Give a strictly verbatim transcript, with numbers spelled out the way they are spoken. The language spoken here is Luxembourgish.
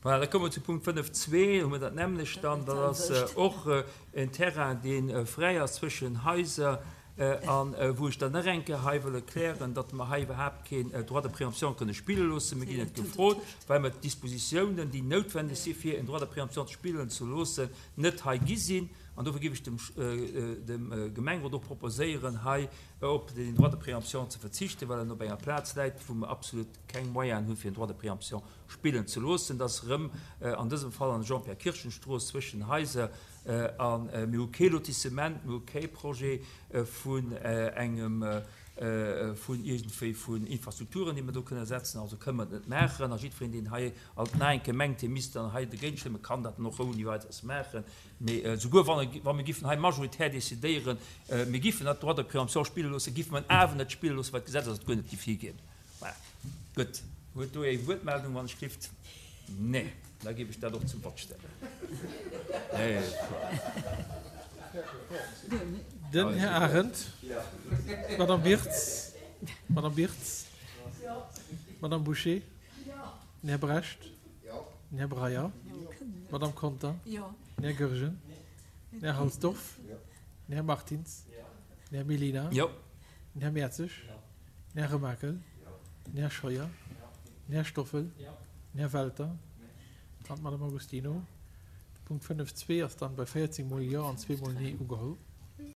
Voilà, da komme mer zu Punkt fënnef zwee, hu mer dat nämmlecht dann. Dat ass och en Terrain, dee fräi ass zwëschen Haiser a wou ech dann nach eng Kéier hei wëll erklären, datt mer hei iwwerhaapt keen Droit de préemption kënne spille loossen. Mir ginn et gefrot, well mer d'Dispositiounen, déi noutwendeg si fir en Droit de préemption spillen ze loossen, net hei gi sinn. An dofir géif ech dem, dem Gemengerot och proposéieren, hei op den Droit de préemption ze verzichten, well en op enger Plaz läit, wou mer absolut keng Moyenen hunn, fir en Droit de préemption spillen ze loossen. Dat ass erëm an dësem Fall an der Jean-Pierre-Kirchen-Strooss zwëschen Haiser. A mir hu kee Lotissement, mir hu kee Projet vun engem, vun iergendwéi vun Infrastrukturen, déi mer do kënne setzen. Also kënne mer et net maachen. A jiddwereen, deen hei alt nach eng Kéier mengt, hie misst dann hei dogéint stëmmen, kann dat dann och ouni Weideres maachen. Mee souguer wann, wa mir giffen hei majoritär decidéieren, mir giffen dat Droit de préemption spille loossen, giffe mer en awer net spille loossen, well d'Gesetz ass et guer net giff higinn. Voilà. Gutt. Huet do ee Wuertmeldung, wann ech gifft? Nee. Da géif ech dat och zum Vott stellen. Den Här Arendt. D'Madame Birtz. D'Madame Birtz. D'Madame Bouché. Den Här Brecht. Den Här Breyer. D'Madame Conter. Den Här Goergen. Den Här Halsdorf. Den Här Martins. Den Här Mellina. Den Här Mertzig. Den Här Remakel. Den Här Scheuer. Den Här Stoffel. Den Här Welter an d'Madame Agostino. De Punkt fënnef zwee ass dann bei véierzéng mol Jo an zwee mol Nee ugeholl.